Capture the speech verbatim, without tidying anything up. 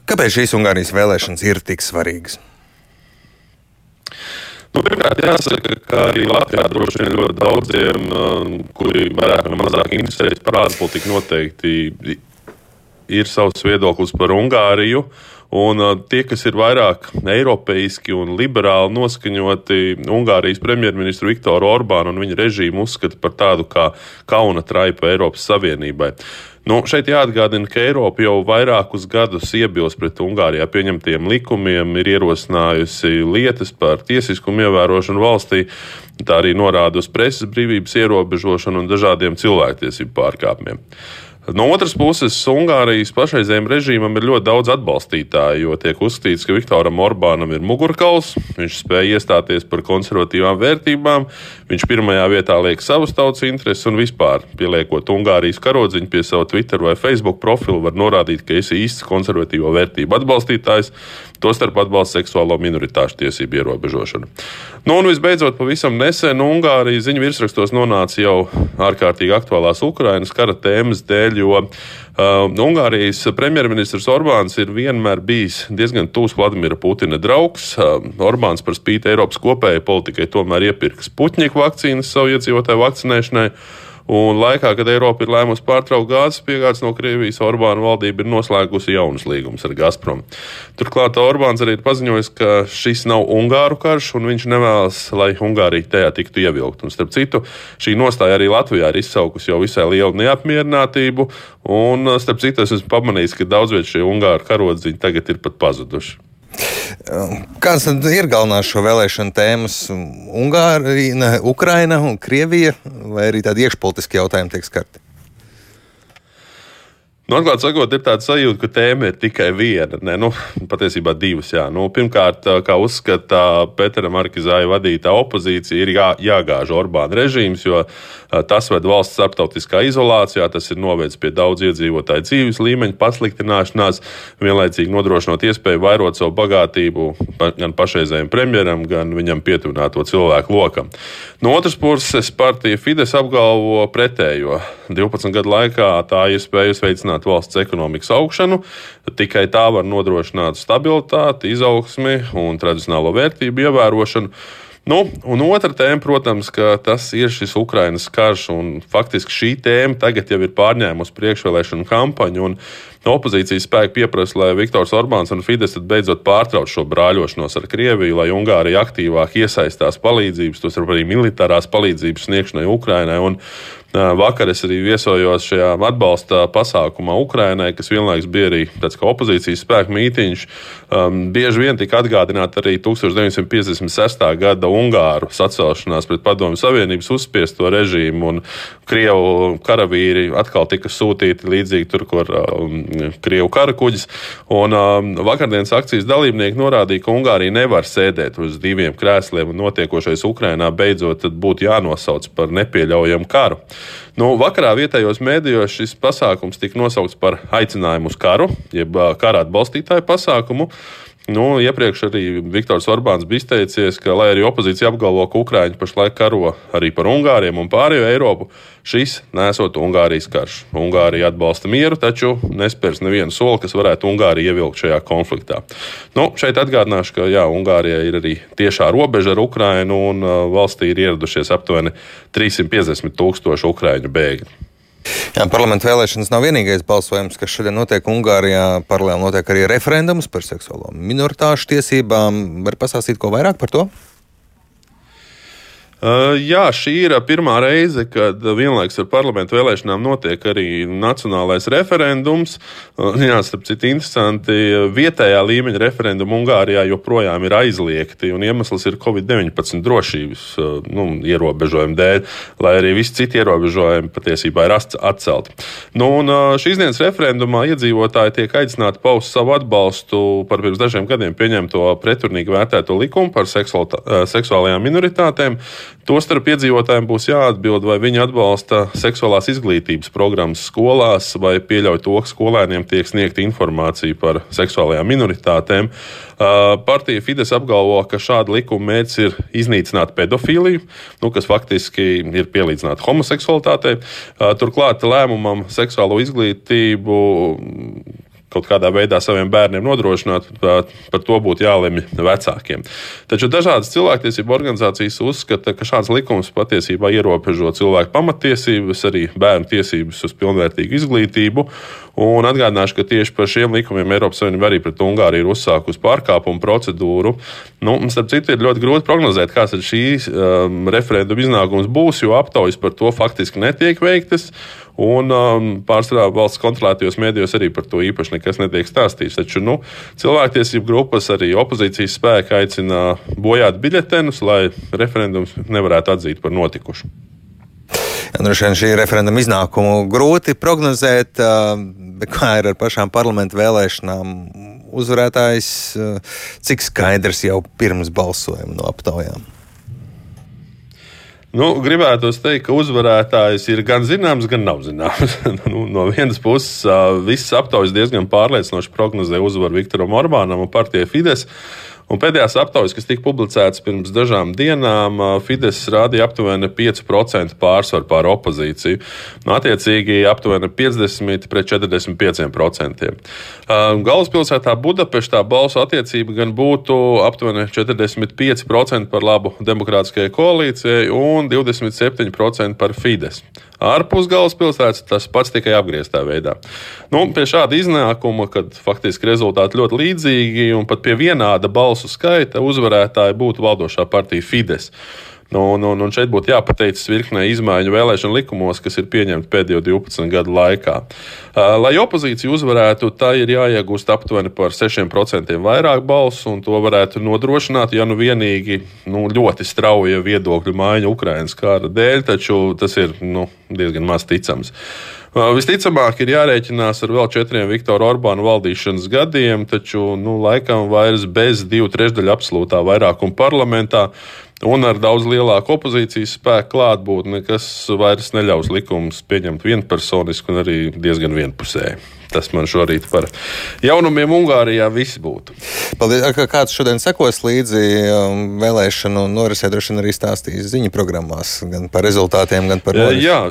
Kāpēc šīs Ungārijas vēlēšanas ir tik svarīgas? Nu, pirmkārt, jāsaka, ka arī Latvijā droši vien ļoti daudziem, kuri vairāk vai mazāk interesējas par ārpolitiku, noteikti ir savs viedoklis par Ungāriju. Un uh, tie, kas ir vairāk eiropeiski un liberāli noskaņoti, Ungārijas premjerministru Viktoru Orbānu un viņa režīmu uzskata par tādu kā kauna traipu Eiropas Savienībai. Nu, šeit jāatgādina, ka Eiropa jau vairākus gadus iebilst pret Ungārijā pieņemtiem likumiem, ir ierosinājusi lietas par tiesiskumu ievērošanu valstī, tā arī norāda uz preses brīvības ierobežošanu un dažādiem cilvēktiesību pārkāpumiem. No otras puses, Ungārijas pašreizējiem režīmam ir ļoti daudz atbalstītāju, jo tiek uzskatīts, ka Viktoram Orbānam ir mugurkauls, viņš spēja iestāties par konservatīvām vērtībām, viņš pirmajā vietā liek savas tautas intereses un vispār, pieliekot Ungārijas karodziņu pie sava Twitter vai Facebook profilu, var norādīt, ka esi īsts konservatīvo vērtību atbalstītājs, tostarp atbalsta seksuālo minoritāšu tiesību ierobežošanu. Nu, un visbeidzot, pavisam nesen Ungārija ziņu virsrakstos nonāca jau ārkārtīgi aktuālās Ukrainas kara tēmas dēļ, jo uh, Ungārijas premjerministrs Orbāns ir vienmēr bijis diezgan tūs Vladimira Putina draugs. Uh, Orbāns par spīti Eiropas kopējai politikai tomēr iepirka Sputņika vakcīnas savu iedzīvotāju vakcinēšanai. Un laikā, kad Eiropa ir lēmusi pārtraukt gāzes piegādes no Krievijas, Orbāna valdība ir noslēgusi jaunus līgumus ar Gazprom. Turklāt Orbāns arī ir paziņojis, ka šis nav Ungāru karš, un viņš nevēlas, lai Ungārija tajā tiktu ievilkt. Un starp citu, šī nostāja arī Latvijā ir izsaukusi jau visai lielu neapmierinātību, un starp citu es esmu pamanījis, ka daudz viet šie Ungāru karodziņi tagad ir pat pazuduši. Kādas tad ir galvenās šo vēlēšanu tēmas? Ungārija, Ukraina un Krievija, vai arī tādi iekšpolitiski jautājumi tiek skarti? Nu, atklāt sakot, ir tāda sajūta, ka tēma ir tikai viena, ne, nu, patiesībā divas, jā. Nu, pirmkārt, kā uzskata Petera Markizāja vadītā opozīcija, ir jā, jāgāž Orbāna režīms, jo tas ved valsts starptautiskā izolācijā, tas ir novedis pie daudz iedzīvotāju dzīves līmeņa pasliktināšanās, vienlaicīgi nodrošinot iespēju vairot savu bagātību gan pašreizējiem premjeram, gan viņam pietuvināto cilvēku lokam. No otras puses, partija Fides apgalvo pretējo. divpadsmit gadu laikā tā ir spējusi veicināt valsts ekonomikas augšanu, tikai tā var nodrošināt stabilitāti, izaugsmi un tradicionālo vērtību ievērošanu. Nu, un otra tēma, protams, ka tas ir šis Ukrainas karš, un faktiski šī tēma tagad jau ir pārņēmusi priekšvēlēšanu kampaņu, un opozīcijas spēki pieprasa, lai Viktors Orbāns un Fides beidzot pārtrauc šo brāļošanos ar Krieviju, lai Ungārija aktīvāk iesaistās palīdzības, tos arī militārās palīdzības sniegšanai Ukrainai, un vakar es arī viesojos šajā atbalsta pasākumā Ukrainai, kas vienlaikus bija arī tāds kā opozīcijas spēku mītiņš. Um, bieži vien tika atgādināta arī tusenč deviņsimt piecdesmit sestā gada Ungāru sacelšanās pret Padomju Savienības uzspiesto režīmu, un Krievu karavīri atkal tika sūtīti līdzīgi tur, kur um, Krievu karakuģis. Un um, vakardienas akcijas dalībnieki norādīja, ka Ungārija nevar sēdēt uz diviem krēsliem, un notiekošais Ukrainā beidzot būtu jānosauc par nepieļaujamu karu. Nu, vakarā vietējos mēdījos šis pasākums tika nosaukts par aicinājumu uz karu, jeb kara atbalstītāju pasākumu. Nu, iepriekš arī Viktors Orbāns bija izteicies, ka, lai arī opozīcija apgalvo, ka Ukraiņi pašlaik karo arī par Ungāriem un pārējo Eiropu, šis nesot Ungārijas karš. Ungārija atbalsta mieru, taču nespērs nevienu soli, kas varētu Ungāriju ievilkt šajā konfliktā. Nu, šeit atgādināšu, ka jā, Ungārijai ir arī tiešā robeža ar Ukrainu, un uh, valstī ir ieradušies aptuveni trīssimt piecdesmit tūkstoši ukraiņu bēgļu. Jā, parlamenta vēlēšanas nav vienīgais balsojums, kas šodien notiek Ungārijā. Paralēli notiek arī referendums par seksuālo minoritāšu tiesībām. Var pastāstīt ko vairāk par to? Uh, jā, šī ir pirmā reize, kad vienlaikus ar parlamentu vēlēšanām notiek arī nacionālais referendums. Uh, jā, starp citu interesanti, vietējā līmeņa referendumi Ungārijā joprojām ir aizliegti, un iemesls ir covid deviņpadsmit drošības uh, nu, ierobežojumu dēļ, lai arī visi citi ierobežojumi patiesībā ir atcelti. Nu, un uh, šīs dienas referendumā iedzīvotāji tiek aicināti paust savu atbalstu par pirms dažiem gadiem pieņemto preturnīgi vērtēto likumu par seksuāl, uh, seksuālajām minoritātēm. Tostarp iedzīvotājiem būs jāatbild, vai viņi atbalsta seksuālās izglītības programmas skolās, vai pieļauj to, ka skolēniem tiek sniegta informācija par seksuālajām minoritātēm. Partija Fides apgalvo, ka šāda likuma mērķis ir iznīcināt pedofīliju, nu, kas faktiski ir pielīdzināta homoseksualitātei. Turklāt lēmumam seksuālo izglītību kaut kādā veidā saviem bērniem nodrošināt, par to būtu jālemj vecākiem. Taču dažādas cilvēktiesību organizācijas uzskata, ka šāds likums patiesībā ierobežo cilvēku pamatiesības, arī bērnu tiesības uz pilnvērtīgu izglītību. Un atgādināšu, ka tieši par šiem likumiem Eiropas Savienība arī pret Ungāriju ir uzsākusi pārkāpumu procedūru. Nu, starp citu, ir ļoti grūti prognozēt, kāds ir šīs um, referenduma iznākums būs, jo aptaujas par to faktiski netiek veiktas. Un um, pārsvarā valsts kontrolētajos mēdījos arī par to īpaši nekas netiek stāstīts. Taču nu, cilvēktiesību grupas, arī opozīcijas spēki aicina bojāt biļetenus, lai referendums nevarētu atzīt par notikušu. Droši vien šī referenduma iznākumu grūti prognozēt, bet kā ir ar pašām parlamentu vēlēšanām? Uzvarētājs cik skaidrs jau pirms balsojuma no aptaujām? Nu, gribētu teikt, ka uzvarētājs ir gan zināms, gan nav zināms. nu, no vienas puses, visas aptaujas diezgan pārliecinoši prognozē uzvaru Viktoram Orbānam un partijai Fides. Un pēdējās aptaujas, kas tika publicētas pirms dažām dienām, Fides rādīja aptuveni pieci procenti pārsvaru pār opozīciju. Nu, attiecīgi aptuveni piecdesmit pret četrdesmit pieci procenti. Galvaspilsētā Budapeštā balsu attiecība gan būtu aptuveni četrdesmit pieci procenti par labu demokrātiskajai koalīcijai un divdesmit septiņi procenti par Fides. Ārpus galvaspilsētas tas pats tikai apgrieztā veidā. Nu, pie šāda iznākuma, kad faktiski rezultāti ļoti līdzīgi un pat pie vienāda balsu skaita uzvarētāji būtu valdošā partija Fides. Nu, nu, un šeit būtu jāpateicas virknē izmaiņu vēlēšanu likumos, kas ir pieņemti pēdējo divpadsmit gadu laikā. Lai opozīcija uzvarētu, tā ir jāiegūst aptuveni par sešiem procentiem vairāk balsu, un to varētu nodrošināt, ja nu vienīgi nu, ļoti strauja viedokļu maiņa Ukrainas kara dēļ, taču tas ir nu, diezgan maz ticams. Visticamāk ir jārēķinās ar vēl četriem Viktora Orbāna valdīšanas gadiem, taču nu, laikam vairs bez divu trešdaļu absolūtā vairākuma parlamentā un ar daudz lielāku opozīcijas spēku klātbūtni, kas vairs neļaus likumus pieņemt vienpersoniski un arī diezgan vienpusēji. Tas man šorīt par jaunumiem Ungārijā viss būtu. Paldies. Kāds šodien sekos līdzi vēlēšanu norisē, droši vien arī stāstīs ziņu programmās gan par rezultātiem, gan par norisu? Jā.